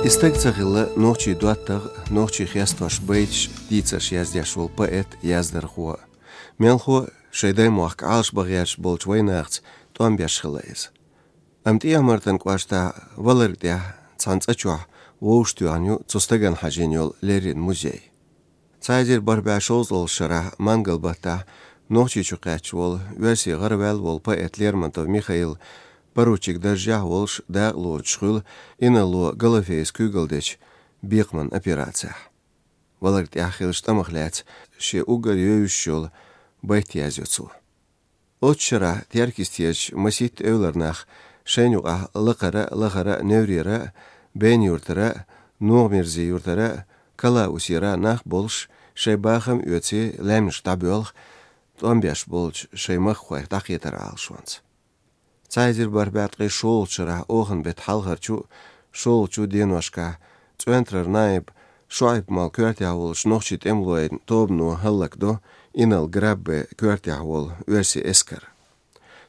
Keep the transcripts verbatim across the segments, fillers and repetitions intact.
И стаг ца хилла нохчий доттагӀа, нохчий хестош байташ, дийцарш яздеш вола поэт, яздархо. Мелхо шоай даймохк Ӏалашба гӀерташ болча вайнахаца тӀом беш хилла иза. Амма ТӀехьа-Мартан кӀоштахь Валарг тӀехь цхьан цӀа чохь вовшахтоьхна ю цу стагана хьажийна йола леррина музей. Цхьа эзар бархӀ бӀе шовзткъалгӀа шарахь, мангал баттахь, Нохчийчу кхаьчна волу, оьрсийн гӀараваьлла волу поэт Лермонтов Михаил поручик даржехь волуш дакъа лоцуш хуьлу инарло Галофеевс куьйгалла дечу бекхаман операцехь. Валарг тӀехь хиллачу тӀамах лаьцна шен уггар йовзуш йолу байт язйо цо. Оццу шарахь Теркйистечу масийтта эвлара нах, шайна юкъахь Лакхара а, Лахара а, Неврера а, Байна-Юртара а, НогӀа-Мирзи-Юртара а, Калаусера а нах болуш, шайн бахам а оьций, лаьмнаш дӀабоьлху, тӀом беш болчу шайн махкахойх дӀакхетар Ӏалашонца. Цхьа эзар бархӀ бӀе ткъе шолгӀачу шарахь оханан беттан хьалхарчу а, шолгӀачу а деношкахь ЦӀоьнтарара наиб ШоӀайп-молла коьртехь волчу нохчийн тӀемалойн тобано хӀаллакдо инарла Граббе коьртехь волу оьрсийн эскар.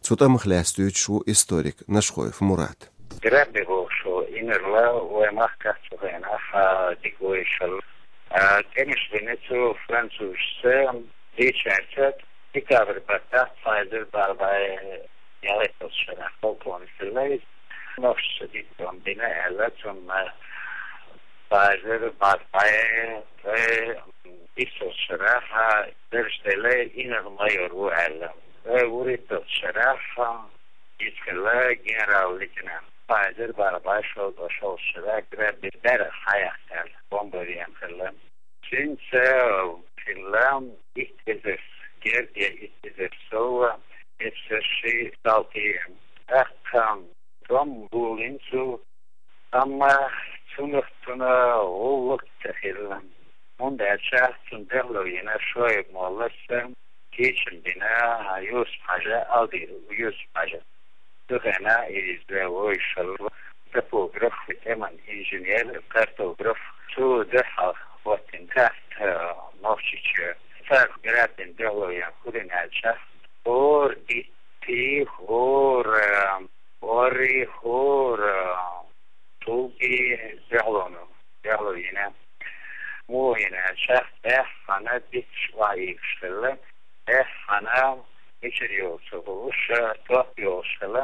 Цу тӀамах лаьцна дуьйцуш ву историк Нашхоев Мурат. Граббе бохуш волу инарла вайн махкахь цу хенахь дика вевзаш хилла. А, тӀемаш дина цу французашца, дийцарца, декабрь баттахь цхьа эзар бархӀ бӀе ялхитталгӀачу шарахь полковник хилла иза. Нохчашца диттам бина аьлла, цунна цхьа эзар бархӀ бӀе ткъе иссалгӀачу шарахь дарж делла, инарла майор ву аьлла. Ткъе вуьрхӀитталгӀачу шарахь иза хилла генерал-лейтенант. Цхьа эзар бархӀ бӀе шовзткъе шолгӀачу шарахь Граббе берах хьаяьккхина аьлла, бомбарен хилла. Цуьнца хилла итт эзар герга, итт эзар сов, эпсарши, салтий. ТӀаккха тӀом болийна цо, амма цунах цунна гӀуллакх ца хилла, хӀунда аьлча цунна дуьхьало йина ШоӀайп-моллас кечам бина Юсуп-Хьажа, Алдир Юсуп-Хьажа. Цу хенахь иза вовзаш хилла топограф, тӀеман инженер, картограф. Цу дуьхьал хӀоттийна карта Нохчийчоь. Цара Граббена дуьхьало ян хӀун дина аьлча, хӀора итт, хӀора орри, хӀора тулги дуьхьалонан, дуьхьало йина. Муха йина аьлча, тӀеххьана дитташ охьаийцаш хилла, тӀеххьана мичара йолу ца хууш, топ йолуш хилла.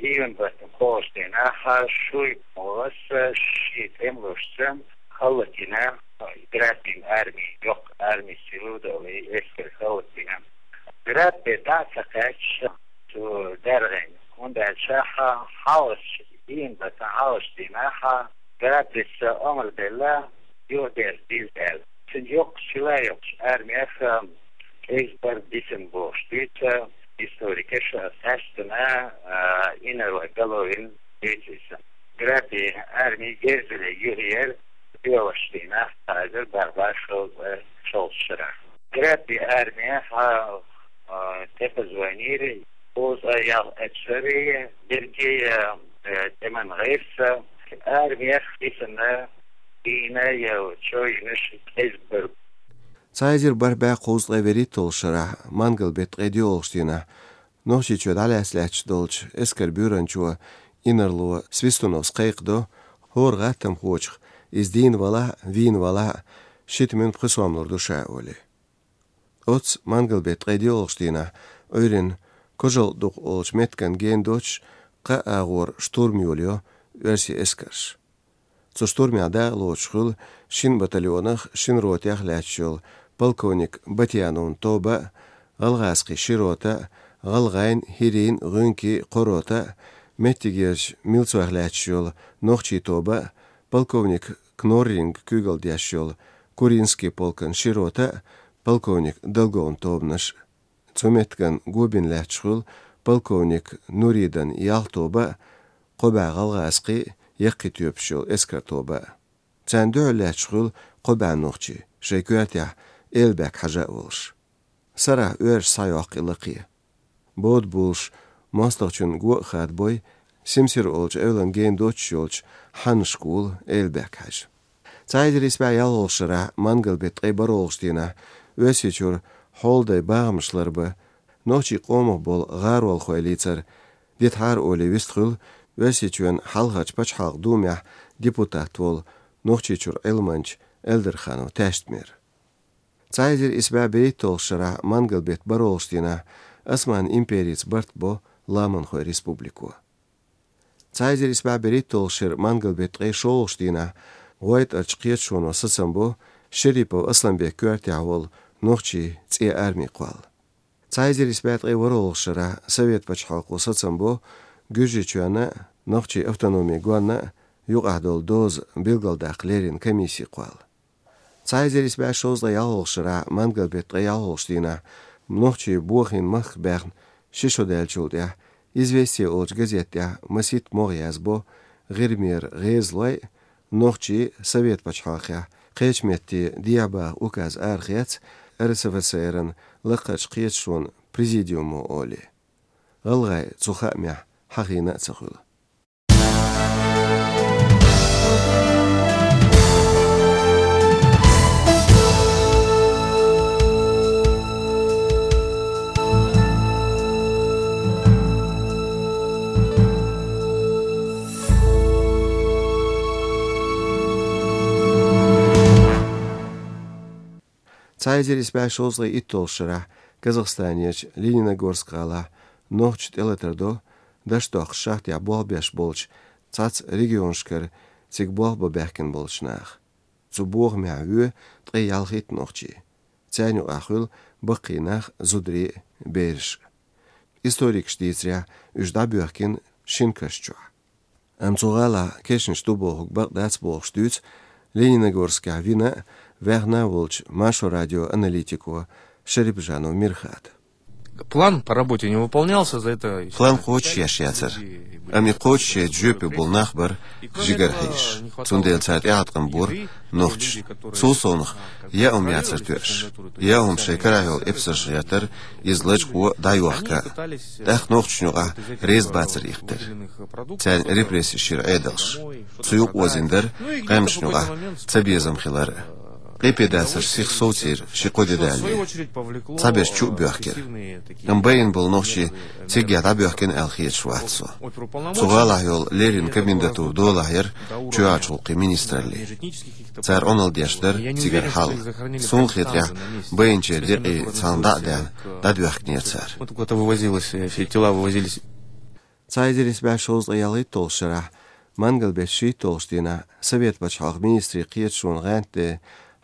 Июнь баттахь кхоалгӀачу дийнахь ШоӀайп-моллас шен тӀемалошца хӀаллакйина Граббен арми, йоккха арми силу долу и эскар хӀаллакйина. Граббе дӀа а ца кхаьчча, цо даьргӀийна, хӀунда аьлча хьалхарчу, июнь баттахь хьалхарчу дийнахь Граббес омра делла, юхадерза деза аьлла. Цуьнан йоккхачу силайоккхачу армех кӀезиг бара дисина бохуш дуьйцу историкаша, тӀаьшдана, а, инарла Головин дуьйцу иза. Граббен арми герзале юхаера доьалгӀачу дийнахь, цхьа эзар бархӀ бӀе шовзткъе шолгӀачу шарахь. Граббен армехь, а, тӀепазвайнийра кхузткъе ялх эпсари, берриге а, э, тӀеман гӀирс, армех дисина, дийна я чоюьйнаш кӀезиг бара. Цхьа эзар бархӀ бӀе кхузткъе вуьрхӀитталгӀачу шарахь, мангал беттан ткъе доьалгӀачу дийнахь, Нохчийчоь дӀалаьцна лаьтташ долчу эскаран буьйранчо, инарло Свистуновс кхайкхадо, хӀора гӀаттамхочух, иза дийна валахь а, вийна валахь а, ши тӀеман пхи сом лур ду ша олий. Оццу мангал беттан ткъе доьалгӀачу дийнахь Ӏуьйранна Кожалдукъ олучу меттиган гена доцуш, кхаа агӀор штурм йолайо оьрсийн эскарш. Цу штурмехь дакъа лоцуш хуьлу шина батальонах, шина ротех лаьтташ йолу полковник Батьяновн тоба а, гӀалгӀазкхийн ши рота а, гӀалгӀайн, хӀирийн, гӀуьнкийн кхо рота а, меттигерчу милцойх лаьтташ йолу нохчийн тоба а, полковник Кнорринг куьйгалла деш йолу Куринский полкан ши рота а, полковник Долговн тобанаш а. Цу меттиган го бина лаьтташ хуьлу полковник Нуридан ялх тоба а, кхо бӀе гӀалгӀазкхийн, яккхий тоьпаш йолу эскаран тоба а. Царна дуьхьал лаьтташ хуьлу кхо бӀе нохчи, шайн коьртехь Элбек-Хьажа а волуш. Сарахь оьрсаш схьайоккху и лакхе. Бода болуш, мостагӀчун го а хадабой, Симсир олучу эвлан гена доцуш йолчу Хьаннан школа, Элбек-Хьажа. Цхьа эзар исс бӀе ялхалгӀачу шарахь, мангал беттан ткъе бархӀалгӀачу дийнахь, Оьрсийчуьра хьолдай бахамаш ларбан, нохчийн къомах болу гӀаролхой лийцар дитахьара олий вистхуьлу Оьрсийчоьнан хьалхарчу пачхьалкхан думехь депутат волу Нохчийчуьра Ӏилманча Эльдарханов Таьштмира. Цхьа эзар исс бӀе берхӀитталгӀачу шарахь мангал беттан бархӀалгӀачу дийнахь Осман империца барт бо Ламанхойн республико. Цхьа эзар исс бӀе берхӀитталгӀачу шеран мангал беттан ткъе шолгӀачу дийнахь ГӀойтӀарчу кхеташоно сацам бо Шерипов Асланбекан коьртехь волу нохчийн цӀен арми кхолла. Цхьа эзар исс бӀе ткъе ворхӀалгӀачу шарахь Совет пачхьалкхо сацам бо Гуьржийчоьнна а, Нохчийн автономин гонна а юкъахь долу доза билгалдаккха леррина комисси кхолла. Цхьа эзар исс бӀе шовзткъе ялхалгӀачу шарахь мангал беттан ткъе ялхалгӀачу дийнахь нохчийн бохийна махка баьхна ши шо даьллачул тӀаьхьа «Известия» олучу газета тӀехь масийтта могӀа язбо ГӀирмера гӀезалой а, нохчий а Совет пачхьалкхехь кхечу метте дехьабаха указ арахецна РСФСР-ан лакхарчу кхеташонан президиумо олий. ГӀалгӀай цу хаамехь хьахийна а ца хуьлу. Цхьа эзар исс бӀе шовзткъе итталгӀачу шарахь Казахстанерчу Лениногорск гӀалахь нохчаша тӀелатар до, даш доккхуш шахтехь болх беш болчу цхьацца регионашкара цига болх бан баьхкина болчу наха. Цу бохамехь воь ткъе ялхитта нохчи. Царна юкъахь хуьлу баккхий нах, зударий а, бераш а. Историкаша дийцарехь, уьш дӀабоьхкина шина каш чохь. Амма цу гӀалахь кешнаш ду бохург бакъ дац бохуш дуьйцу Лениногорскехь вина а, ваьхна а волчу Маршо радион аналитико Шарипжанов Мирхата. План по работе не выполнялся, за это... План кхочушъеш яцара. Амма и кхочушъяйта жоьпе болу нах бара жигара хьийзаш. Цундела цара тӀеӀаткъам бора нохчаша. Цул совнаха яа хӀума яцара тоьаш. Яа хӀума шайн карахь йолу эпсарша гӀертара, иза лачкъо а, дӀайохка а. ТӀаккха нохчашна юкъахь реза бацар ихтара. Царна репрессеш йира Ӏедалша. Цу юкъа озийна дара къаьмнашна юкъахь цабезам хилар а. Къепедацарш сиха совцийра ши-кхо де далале. Цхьаберш чу а боьхкира. Амма байина болу нохчий циггахь дӀабоьхкина аьлла хеташ вац со. Цу гӀалахь йолу леррина комендатура долахь яра чоьхьарчу гӀуллакхийн министралле. Цара Ӏуналла деш дара цигара хьал. Суна хетарехь, байинчеран декъий цхьана дӀа а даьхна, дӀадоьхкинера цара. Вот куда-то вывозилось, э, все тела вывозились. Цхьа эзар исс бӀе шовзткъе ялхитталгӀачу шарахь мангал беттан шийтталгӀачу дийнахь Совет пачхьалкхан министрийн кхеташонан гӀантден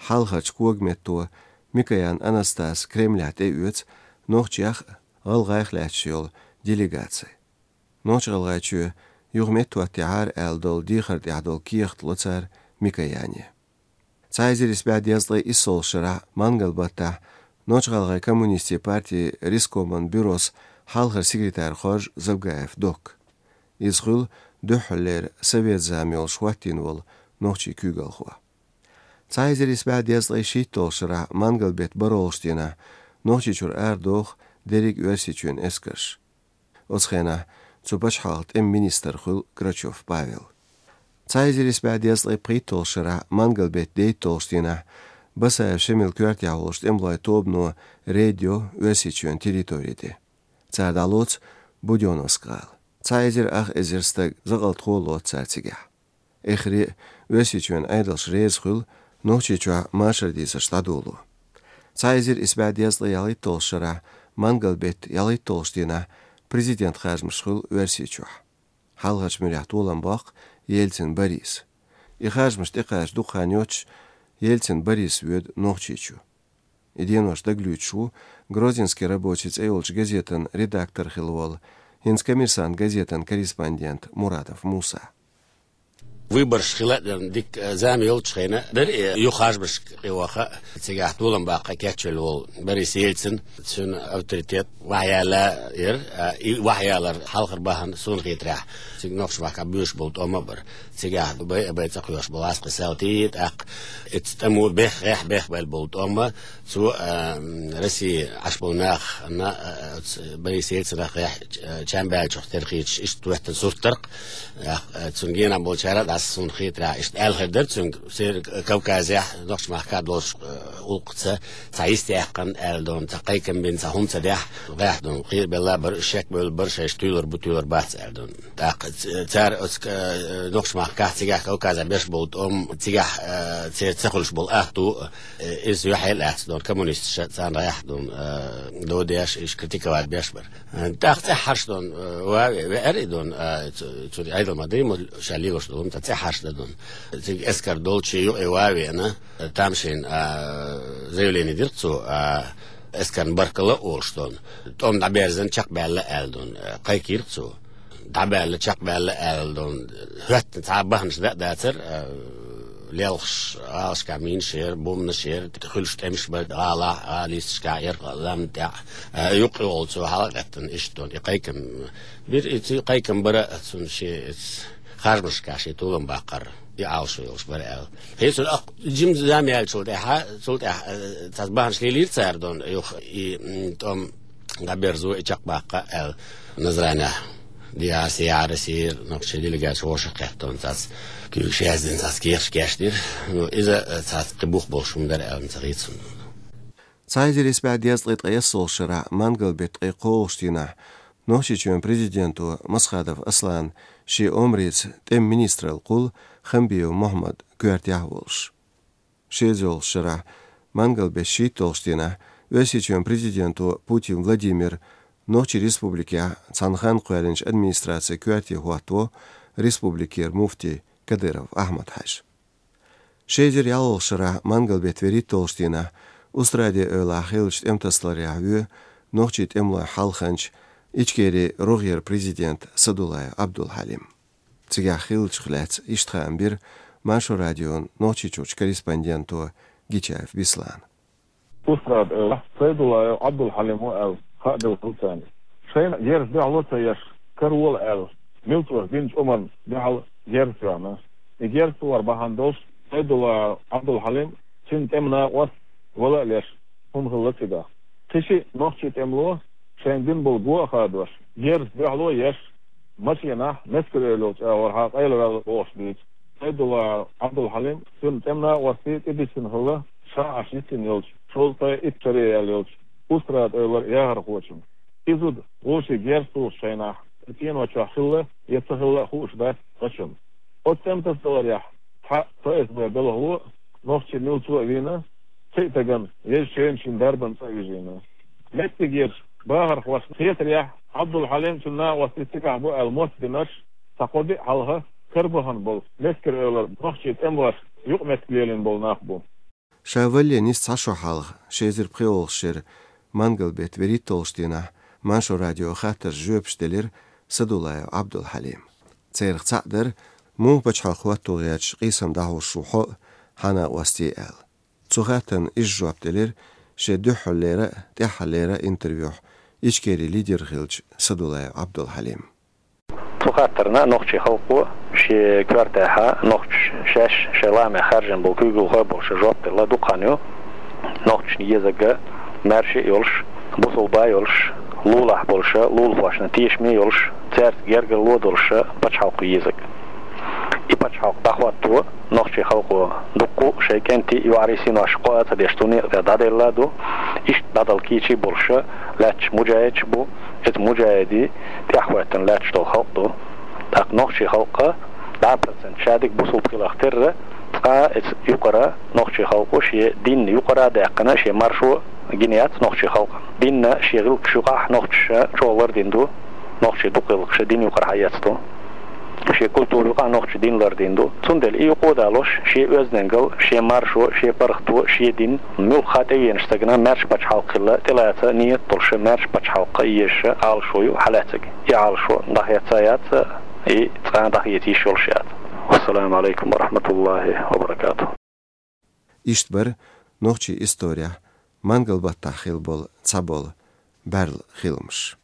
хьалхарчу когаметто Микоян Анастас Кремлехь тӀеоьцу нохчех а, гӀалгӀайх а лаьтташ йолу делегаци. Нохч-ГӀалгӀайчоь юха меттахӀоттахьара аьлла долу дехар тӀехь долу кехат ло цара Микояне. Цхьа эзар исс бӀе дезткъе иссалгӀачу шарахь мангал баттахь Нохч-ГӀалгӀайн коммунистийн партин рескоман бюрос хьалхара секретарь хоржу Завгаев Докка. Иза хуьлу дуьххьарлера совет зама йолуш хӀоттийна волу нохчийн куьйгалхо. Цхьа эзар исс бӀе дезткъе шийтталгӀачу шарахь мангал беттан бархӀалгӀачу дийнахь Нохчийчуьра арадоху дерриг Оьрсийчоьнан эскарш. Оцу хенахь цу пачхьалкхан тӀеман министр хуьлу Грачев Павел. Цхьа эзар исс бӀе дезткъе пхийтталгӀачу шарахь мангал беттан дейтталгӀачу дийнахь Басаев Шемалан коьртехь волчу тӀемалойн тобано рейд йо Оьрсийчоьнан территори тӀе. Цара дӀалоцу Будённовск гӀала. Цхьа эзар ах эзар стаг, закъалтхо лоцу цара цигахь. Эххар а Оьрсийчоьнан Ӏедалш реза хуьлу Нохчийчохь машар дийцарш дӀадоло. Цхьа эзар исс бӀе дезткъе ялхитталгӀачу шарахь мангал беттан ялхитталгӀачу дийнахь президентан харжамаш хуьлу Оьрсийчохь. Хьалхарчу муьрехь толам боккху Ельцин Бориса. И харжамаш тӀекхача дукха хан йоццуш Ельцин Борис воьду Нохчийчу. И денош дагалуьйцуш ву «Грозненский рабочий» цӀе йолчу газетан редактор хилла волу, хӀинца «Коммерсант» газетан корреспондент Мурадов Муса. Выбораш хила а дерг, дика, э, зама йолчу хенахь дара, э, юха харжамашка кхеваха а, цигахь толам баккха кечвелла волу Борис Ельцин, цуьнан авторитет вахьаяла яра, а, и вахьаялар хьалхара бахьана суна хетарехь, цига нохчийн махкахь боьдуш болу тӀом а бара. Цигахь бай а бай цӀа кхоьруш болу гӀаскхи салти, тӀаккха оцу тӀамо бехк, гӀехь бехк баьлла болу тӀом а, цо, а, м, Росси Ӏаш болу нах, на, а, оцу Борис Ельцинах гӀехь, а, чам баьллачух тера хеташ, иштта хӀоьттина сурт дара-кх, а, цунна генахь болчара а дӀа Суна хетарехь, иштта аьлла хир дара цуьнга, Северный Кавказехь, нохчийн махкахь долуш, э, улкхаца цхьа йист яьккхина аьлла дон, цхьа кхайкам бина, цхьа хӀума ца дехь, гӀехь дон, кхера белла бара, шек бевлла бара, шайша туьйлур бу, туьйлур бац аьлла дон. ТӀаккха ц-, цара оцу, э, нохчийн махкахь цигахь Кавказехь беш болу тӀом, цигахь, э, церан ца хуьлуш болу ахту, э, иза юьхье лаьцна дон, коммунисташа царна гӀехь дон, э, додеш, иштта критиковать беш бара. ТӀаккха цӀеххьарш дон, э, вави, веара и дон, а, цу-, цуьнан Ӏедал ма дий, ма ша лелош долу, ма цӀеххьарш дан дон. Цига эскар долчу юкъе ван а веана, тамашийна, а, заявление дира цо, а, эскарна баркалла а олуш дон. ТӀом дӀаберзан чекхбаьлла аьлла дон, а, кхайкхийра цо. ДӀабаьлла, чекхбаьлла аьлла дон. ХӀоьттина цхьа а баханаш дан а дацара, а, лелхаш, гӀалашкахь минаш яра, бомбанаш яра, хуьлуш тӀемаш бара гӀалахь, гӀалин йисташкахь, ярх лам тӀехь. А, юккъе волу цо хьала а гӀеттина, иштта дон, и кхайкам бира, и цу кхайкам бара, цунна шен харжамашкахь шен толам баккхар, и Ӏалашо йолуш бара аьлла. ХӀинца ах, жима зама яьллачул тӀаьхьа, цул тӀаьхьа, а, цхьа баханаш лелийра цара дон, юха и, м, тӀом дӀаберзо, и чекхбаккха аьлла. Назранехь дехьа, сехьа Россия нохчийн делегаци вовшах кхеттон цац куьйгаш яздина, цац кехаш кечдира. Ну, иза, э, цац кхин бух болуш хӀума дара аьлла ца хийцун. Цхьа эзар исс бӀе дезткъе ткъайоьсналгӀачу шарахь мангал беттан ткъе кхоалгӀачу дийнахь Нохчийчоьнан президенто Масхадов Аслана шен омрица тӀеман министралла кхуллу Хамбиев Мухьаммад коьртехь а волуш. Ши эзар ялхалгӀачу шарахь мангал беттан шийтталгӀачу дийнахь Оьрсийчоьнан президенто Путин Владимира Нохчийн республикехь цхьана ханна кхоьллинчу администрацин коьрте хӀоттаво республикера муфти Кадыров Ахьмад-Хьаьжа. Ши эзар ялхалгӀачу шарахь мангал беттан вуьрхӀитталгӀачу дийнахь Устрадин эвлахь хиллачу тӀематасадаларехь воь нохчийн тӀемалойн хьалханча, Ичкерин рогӀера президент Садулаев Ӏабдул-Хьалим. Цигахь хиллачух лаьцна иштта хаам бира Маршо радион Нохчийчуьрчу корреспонденто Гичаев Беслана. Устрада эвлахь Сайдуллаев Ӏабдул-Хьалим ву аьлла хаа делла хилла царна. Шайна герз дуьхьало ца еш, каравола аьлла, милцоша динчу омрана дуьхьал герз тоьхна. И герз тохар бахьана долуш Сайдуллаев Ӏабдул-Хьалим, цуьнан тӀеман накъост вала а леш, хӀума хилла цигахь. Кхин шиъ нохчийн тӀемало шайна дина болу го а хадош, герз дуьхьало а еш, машенахь, мескара эвлалчу агӀорхьа къайлаваьлла бохуш дийца. Сайдуллаев Ӏабдул-Хьалим, цуьнан тӀеман накъостий тӀедисина хилла ша Ӏаш йисина йолчу, шовзткъе итт шаре яьлла йолчу Устрада эвлара яхархочунна. И зуда вовшийн герз тухучу шайнахь, и цӀенош чохь хилла я ца хилла а хууш дац вайна. Оцу тӀематасадаларехь цхьа ФСБ белхало а, нохчийн милцо а вийна, кхин а стагана еза шена шен дарбан цӀа а вижийна. Меттигерчу бахархошна хетарехь, Ӏабдул-Хьалим, цуьнан накъостий цигахь бу аьлла моттадинарш цхьа кхо-диъ хьалха карабахана болу, мескара эвлара нохчийн тӀемалошка юкъаметтиг лелийна болу нах бу. Ша валале нисса цхьа шо хьалха, ши эзар пхоьалгӀачу шеран мангал беттан вуьрхӀитталгӀачу дийнахь, Маршо радион хаттаршна жоьпаш делира Садуллаев Ӏабдул-Хьалима. Царах цхьаъ дара, муха пачхьалкх хӀотто гӀерташ къийсам дӀахьош ву хьо а, хьан накъостий а аьлла. Цу хаттарна иза жоп делира шен дуьххьарлера а, тӀаьххьарлера а интервьюхь Ичкерин лидер хиллачу Садуллаев Ӏабдул-Хьалима. Цу хаттарна нохчийн халкъо шен коьртехь, нохчаша шаьш шайн лаамехь хаьржина болу куьйгалхой болуш жоп делла дукха хан ю. Нохчашна езарг маьрша а йолуш, бусулба а йолуш, лулахь болуш, лулахошна тешаме а йолуш, цаьрца гергарло а долуш пачхьалкх ю езарг. И пачхьалкх дӀахӀотто нохчийн халкъо дуккха а шайн кӀентий, йоӀарий, синош кхоа а ца деш, цу некъа тӀе дӀаделла а ду. Иштта дӀадала кийча а болуш лаьтташ муджахӀидаш а бу, эцу муджахӀидийн тӀаьхьахӀоьттина лаьтташ долу халкъ а ду. ТӀаккха нохчийн халкъ дӀа а процент шадерг бусулба хиларх терра, цкъа а эцу юкъара нохчийн халкъо шен дин юкъара а даьккхина, шен маршо гина яц нохчийн халкъан. Динна шен гӀиллакхаш юкъахь нохчаша чӀогӀа лардина ду, нохчийн дукха гӀиллакхаш дин юкъара хьаэцна ду. Шен культура юкъахь нохчаша дин лардина ду. Цундела и юкъа а далош, шен оьздангалла, шен маршо, шен паргӀато, шен дин муьлхха а тӀевеанчу стагана маьрша пачхьалкх хила тӀелаца нийят долуш, маьрша пачхьалкх езаш Ӏалашо ю хьалаьцнарг. И Ӏалашо дӀахеца а яц, и цкъа а дӀахеца йиш йолуш а яц. Вассаламу Ӏалайкум ва рахьматуллахӀи ва баракатухӀ. Иштта бара нохчийн исторехь мангал баттахь хилла болу цхьаболу бӀаьрла хиламаш.